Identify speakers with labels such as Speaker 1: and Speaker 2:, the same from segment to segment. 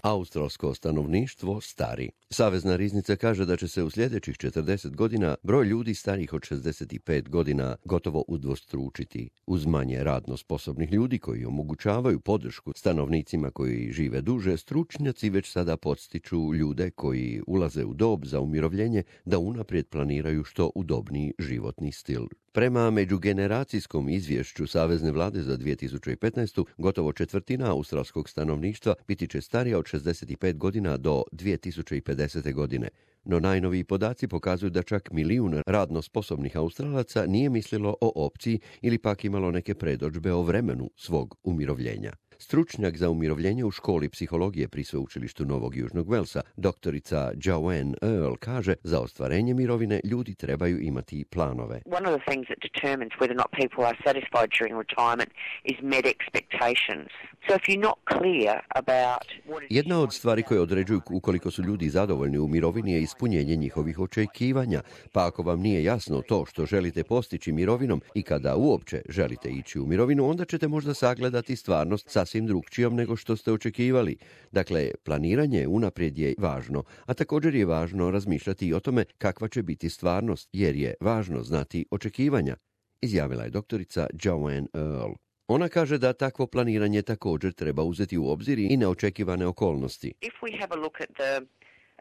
Speaker 1: Australsko stanovništvo stari. Savezna riznica kaže da će se u sljedećih 40 godina broj ljudi starijih od 65 godina gotovo udvostručiti. Uz manje radno sposobnih ljudi koji omogućavaju podršku stanovnicima koji žive duže, stručnjaci već sada podstiču ljude koji ulaze u dob za umirovljenje da unaprijed planiraju što udobniji životni stil. Prema međugeneracijskom izvješću Savezne vlade za 2015. gotovo četvrtina australskog stanovništva biti će starija od 65 godina do 2050. godine. No najnoviji podaci pokazuju da čak 1 milijun radno sposobnih Australaca nije mislilo o opciji ili pak imalo neke predodžbe o vremenu svog umirovljenja. Stručnjak za umirovljenje u školi psihologije pri sveučilištu Novog Južnog Velsa, doktorica Joanne Earl, kaže za ostvarenje mirovine ljudi trebaju imati planove.
Speaker 2: One of the things that determines whether or not people are satisfied during retirement is met expectations. So if you're not clear about what it is.
Speaker 1: Jedna od stvari koje određuju ukoliko su ljudi zadovoljni u mirovini je ispunjenje njihovih očekivanja. Pa ako vam nije jasno to što želite postići mirovinom i kada uopće želite ići u mirovinu, onda ćete možda sagledati stvarnost sasvim drugčijom nego što ste očekivali. Dakle, planiranje unaprijed je važno, a također je važno razmišljati i o tome kakva će biti stvarnost, jer je važno znati očekivanja, izjavila je doktorica Joanne Earl. Ona kaže da takvo planiranje također treba uzeti u obzir i neočekivane okolnosti.
Speaker 2: If we have a look at the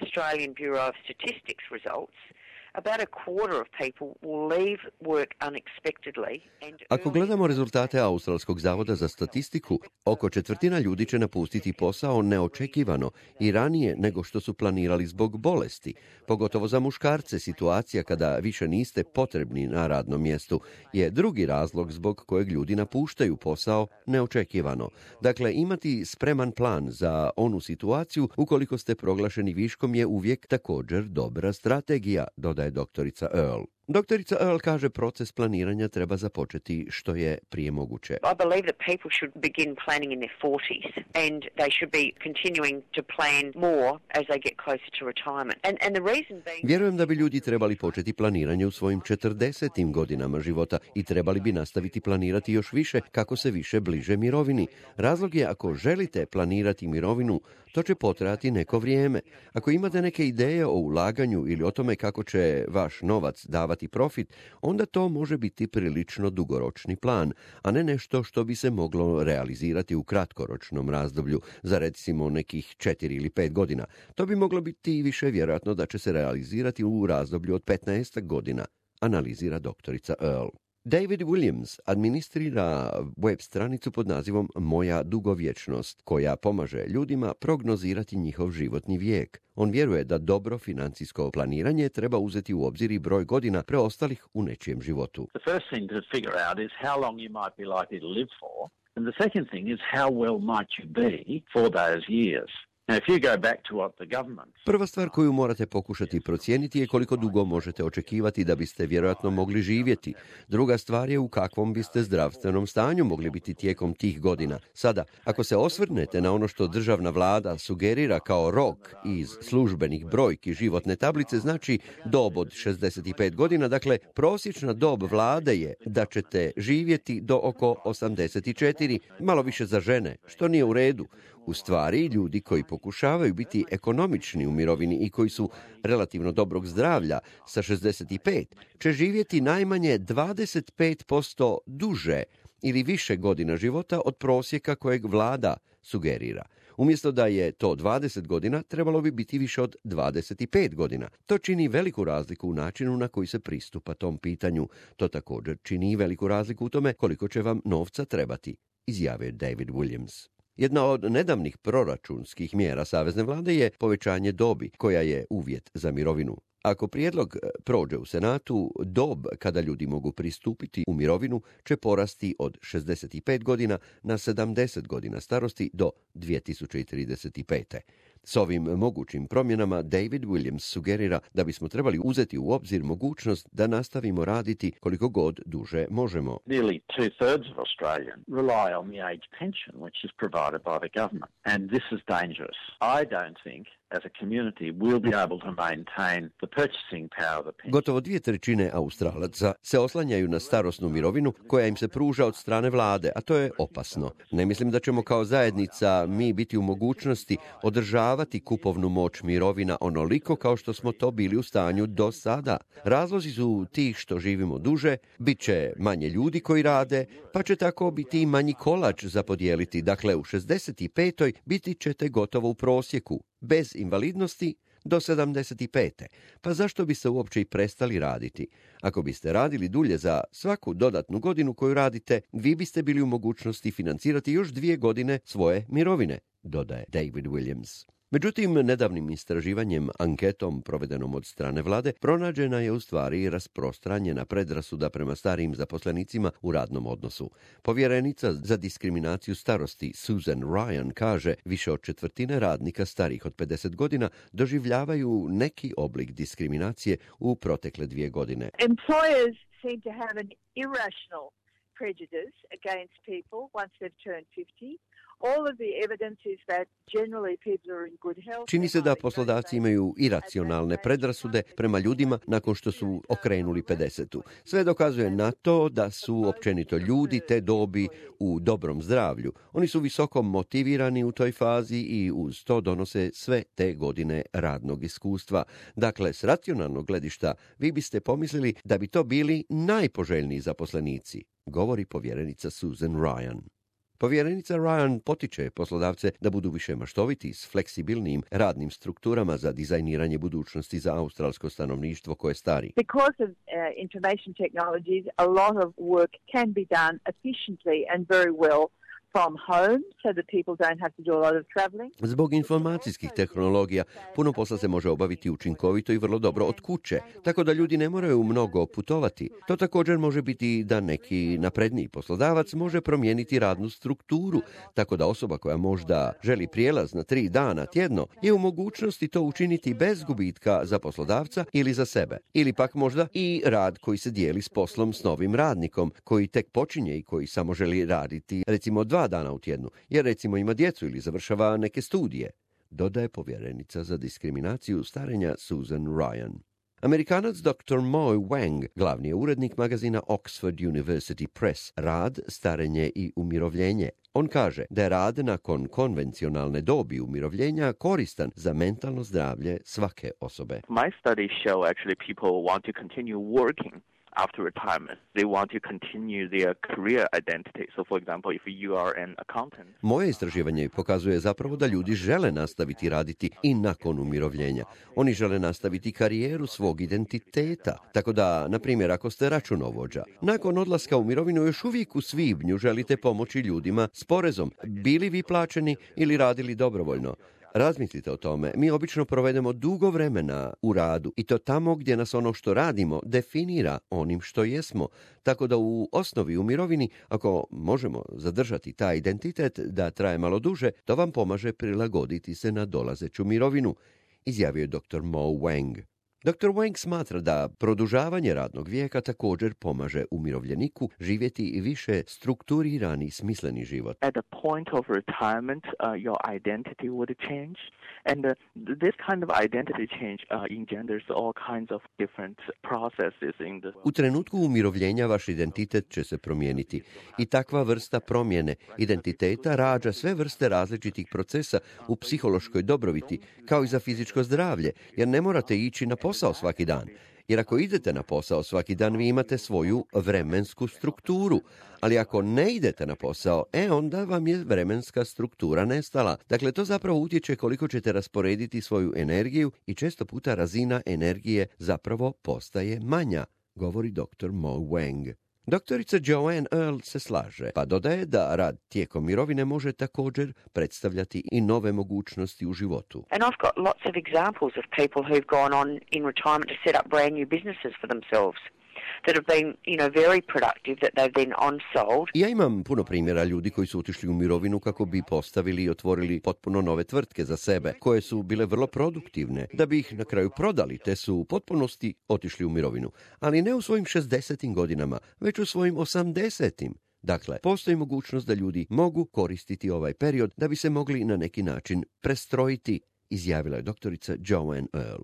Speaker 2: Australian Bureau of Statistics results, about a quarter of people will leave work unexpectedly.
Speaker 1: Ako gledamo rezultate Australskog zavoda za statistiku, oko četvrtina ljudi će napustiti posao neočekivano i ranije nego što su planirali zbog bolesti. Pogotovo za muškarce situacija kada više niste potrebni na radnom mjestu je drugi razlog zbog kojeg ljudi napuštaju posao neočekivano. Dakle, imati spreman plan za onu situaciju ukoliko ste proglašeni viškom je uvijek također dobra strategija, dodaje doktorica Earl. Doktorica Earl kaže proces planiranja treba započeti što je prije moguće.
Speaker 2: I believe that people should begin planning in their 40s and they should be continuing to plan more as they get closer to retirement. And the reason being...
Speaker 1: Vjerujem da bi ljudi trebali početi planiranje u svojim 40. godinama života i trebali bi nastaviti planirati još više kako se više bliže mirovini. Razlog je ako želite planirati mirovinu, to će potrajati neko vrijeme. Ako imate neke ideje o ulaganju ili o tome kako će vaš novac davati profit, onda to može biti prilično dugoročni plan, a ne nešto što bi se moglo realizirati u kratkoročnom razdoblju za recimo nekih 4 ili 5 godina. To bi moglo biti više vjerojatno da će se realizirati u razdoblju od 15 godina, analizira doktorica Earl. David Williams administrira web stranicu pod nazivom Moja dugovječnost, koja pomaže ljudima prognozirati njihov životni vijek. On vjeruje da dobro financijsko planiranje treba uzeti u obzir i broj godina preostalih u nečijem životu.
Speaker 3: The first thing to figure out is how long you might be likely to live for, and the second thing is how well might you be for those years.
Speaker 1: Prva stvar koju morate pokušati procijeniti je koliko dugo možete očekivati da biste vjerojatno mogli živjeti. Druga stvar je u kakvom biste zdravstvenom stanju mogli biti tijekom tih godina. Sada, ako se osvrnete na ono što državna vlada sugerira kao rok iz službenih brojki životne tablice, znači dob od 65 godina, dakle prosječna dob vlade je da ćete živjeti do oko 84, malo više za žene, što nije u redu. U stvari, ljudi koji pokušavaju biti ekonomični u mirovini i koji su relativno dobrog zdravlja sa 65 će živjeti najmanje 25% duže ili više godina života od prosjeka kojeg vlada sugerira. Umjesto da je to 20 godina, trebalo bi biti više od 25 godina. To čini veliku razliku u načinu na koji se pristupa tom pitanju. To također čini veliku razliku u tome koliko će vam novca trebati, izjavio David Williams. Jedna od nedavnih proračunskih mjera Savezne vlade je povećanje dobi, koja je uvjet za mirovinu. Ako prijedlog prođe u Senatu, dob kada ljudi mogu pristupiti u mirovinu će porasti od 65 godina na 70 godina starosti do 2035. S ovim mogućim promjenama David Williams sugerira da bismo trebali uzeti u obzir mogućnost da nastavimo raditi koliko god duže možemo.
Speaker 3: Nearly 2/3 of Australians rely on the age pension, which is provided by the government, and this is dangerous. I don't think as a community we'll be able to maintain the purchasing power of the pension.
Speaker 1: Gotovo 2/3 Australaca se oslanjaju na starosnu mirovinu koja im se pruža od strane vlade, a to je opasno. Ne mislim da ćemo kao zajednica mi biti u mogućnosti održavati kupovnu moć mirovina onoliko kao što smo to bili u stanju do sada. Razlozi su tih što živimo duže, bit će manje ljudi koji rade, pa će tako biti i manji kolač za podijeliti. Dakle, u 65. biti ćete gotovo u prosjeku, bez invalidnosti do 75. Pa zašto biste uopće i prestali raditi? Ako biste radili dulje za svaku dodatnu godinu koju radite, vi biste bili u mogućnosti financirati još 2 godine svoje mirovine, dodaje David Williams. Međutim, nedavnim istraživanjem, anketom provedenom od strane vlade, pronađena je u stvari rasprostranjena predrasuda prema starijim zaposlenicima u radnom odnosu. Povjerenica za diskriminaciju starosti Susan Ryan kaže više od 1/4 radnika starijih od 50 godina doživljavaju neki oblik diskriminacije u protekle 2 godine.
Speaker 4: Employers seem to have an irrational prejudice against people once they've turned 50.
Speaker 1: Čini se da poslodavci imaju iracionalne predrasude prema ljudima nakon što su okrenuli 50. Sve dokazuje na to da su općenito ljudi te dobi u dobrom zdravlju. Oni su visoko motivirani u toj fazi i uz to donose sve te godine radnog iskustva. Dakle, s racionalnog gledišta vi biste pomislili da bi to bili najpoželjniji zaposlenici, govori povjerenica Susan Ryan. Povjerenica Ryan potiče poslodavce da budu više maštoviti s fleksibilnim radnim strukturama za dizajniranje budućnosti za australsko stanovništvo koje stari.
Speaker 4: Because of information technologies, a lot of work can be done efficiently and very well from home, so that people don't have to do a lot of traveling.
Speaker 1: Zbog informacijskih tehnologija puno posla se može obaviti učinkovito i vrlo dobro od kuće, tako da ljudi ne moraju mnogo putovati. To također može biti da neki napredniji poslodavac može promijeniti radnu strukturu, tako da osoba koja možda želi prijelaz na 3 dana tjedno je u mogućnosti to učiniti bez gubitka za poslodavca ili za sebe. Ili pak možda i rad koji se dijeli s poslom s novim radnikom, koji tek počinje i koji samo želi raditi recimo 2 dana u tjednu, jer recimo ima djecu ili završava neke studije, dodaje povjerenica za diskriminaciju starenja Susan Ryan. Amerikanac dr. Moy Wang, glavni je urednik magazina Oxford University Press, Rad, starenje i umirovljenje. On kaže da je rad nakon konvencionalne dobi umirovljenja koristan za mentalno zdravlje svake osobe.
Speaker 5: My studies show actually people want to continue working after retirement. They want to continue their career identity. So, for example, if you are an accountant...
Speaker 1: Moje istraživanje pokazuje zapravo da ljudi žele nastaviti raditi i nakon umirovljenja. Oni žele nastaviti karijeru svog identiteta. Tako da, na primjer, ako ste računovođa, nakon odlaska u mirovinu još uvijek u svibnju želite pomoći ljudima s porezom, bili vi plaćeni ili radili dobrovoljno. Razmislite o tome. Mi obično provedemo dugo vremena u radu i to tamo gdje nas ono što radimo definira onim što jesmo. Tako da u osnovi u mirovini, ako možemo zadržati taj identitet da traje malo duže, to vam pomaže prilagoditi se na dolazeću mirovinu, izjavio je dr. Mo Wang. Dr. Wang smatra da produžavanje radnog vijeka također pomaže umirovljeniku živjeti više strukturirani i smisleni život.
Speaker 5: At the point of retirement, your identity would change. And this kind of identity change engenders all kinds of different processes in the...
Speaker 1: U trenutku umirovljenja vaš identitet će se promijeniti i takva vrsta promjene identiteta rađa sve vrste različitih procesa u psihološkoj dobrobiti, kao i za fizičko zdravlje, jer ne morate ići na posao svaki dan. Jer ako idete na posao svaki dan, vi imate svoju vremensku strukturu. Ali ako ne idete na posao, onda vam je vremenska struktura nestala. Dakle, to zapravo utječe koliko ćete rasporediti svoju energiju i često puta razina energije zapravo postaje manja, govori dr. Mo Wang. Doktorica Joanne Earl se slaže, pa dodaje da rad tijekom mirovine može također predstavljati i nove mogućnosti u životu.
Speaker 2: And I've got lots of examples of people who've gone on in retirement to set up brand new businesses for themselves. that have been, very productive that they've then on-sold.
Speaker 1: Ja imam puno primjera ljudi koji su otišli u mirovinu kako bi postavili i otvorili potpuno nove tvrtke za sebe, koje su bile vrlo produktivne, da bi ih na kraju prodali, te su u potpunosti otišli u mirovinu. Ali ne u svojim 60. godinama, već u svojim 80. Dakle, postoji mogućnost da ljudi mogu koristiti ovaj period da bi se mogli na neki način prestrojiti, izjavila je doktorica Joanne Earl.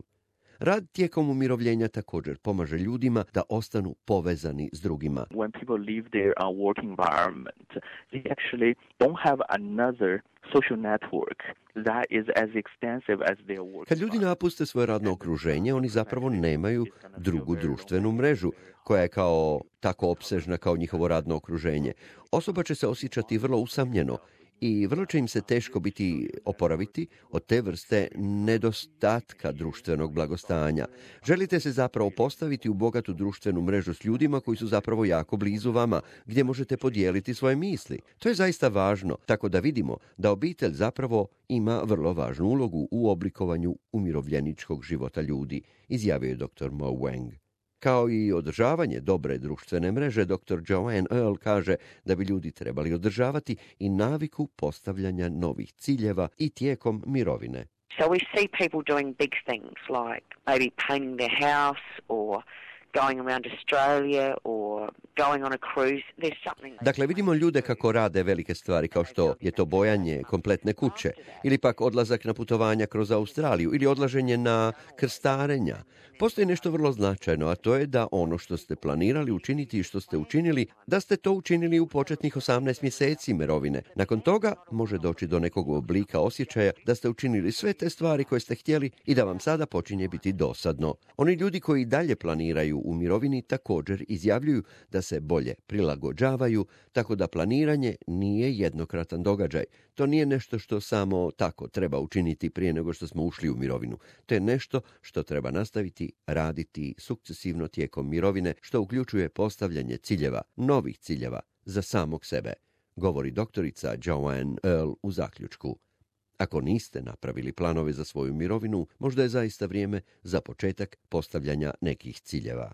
Speaker 1: Rad tijekom umirovljenja također pomaže ljudima da ostanu povezani s drugima.
Speaker 5: When people leave their work environment, they actually don't have another social network that is as extensive as their work.
Speaker 1: Kad ljudi napuste svoje radno okruženje, oni zapravo nemaju drugu društvenu mrežu koja je kao tako opsežna kao njihovo radno okruženje. Osoba će se osjećati vrlo usamljeno i vrlo će im se teško biti oporaviti od te vrste nedostatka društvenog blagostanja. Želite se zapravo postaviti u bogatu društvenu mrežu s ljudima koji su zapravo jako blizu vama, gdje možete podijeliti svoje misli. To je zaista važno, tako da vidimo da obitelj zapravo ima vrlo važnu ulogu u oblikovanju umirovljeničkog života ljudi, izjavio je dr. Mo Wang. Kao i održavanje dobre društvene mreže, dr. Joanne Earl kaže da bi ljudi trebali održavati i naviku postavljanja novih ciljeva i tijekom mirovine.
Speaker 2: So we see people doing big things like maybe painting their house or going around Australia or going on a cruise. There's something.
Speaker 1: Dakle, vidimo ljude kako rade velike stvari kao što je to bojanje kompletne kuće ili pak odlazak na putovanja kroz Australiju ili odlaženje na krstarenja. Postoji nešto vrlo značajno, a to je da ono što ste planirali učiniti i što ste učinili, da ste to učinili u početnih 18 mjeseci mirovine. Nakon toga može doći do nekog oblika osjećaja da ste učinili sve te stvari koje ste htjeli i da vam sada počinje biti dosadno. Oni ljudi koji dalje planiraju u mirovini također izjavljuju da se bolje prilagođavaju, tako da planiranje nije jednokratan događaj. To nije nešto što samo tako treba učiniti prije nego što smo ušli u mirovinu. To je nešto što treba nastaviti raditi sukcesivno tijekom mirovine, što uključuje postavljanje ciljeva, novih ciljeva za samog sebe, govori doktorica Joanne Earl u zaključku. Ako niste napravili planove za svoju mirovinu, možda je zaista vrijeme za početak postavljanja nekih ciljeva.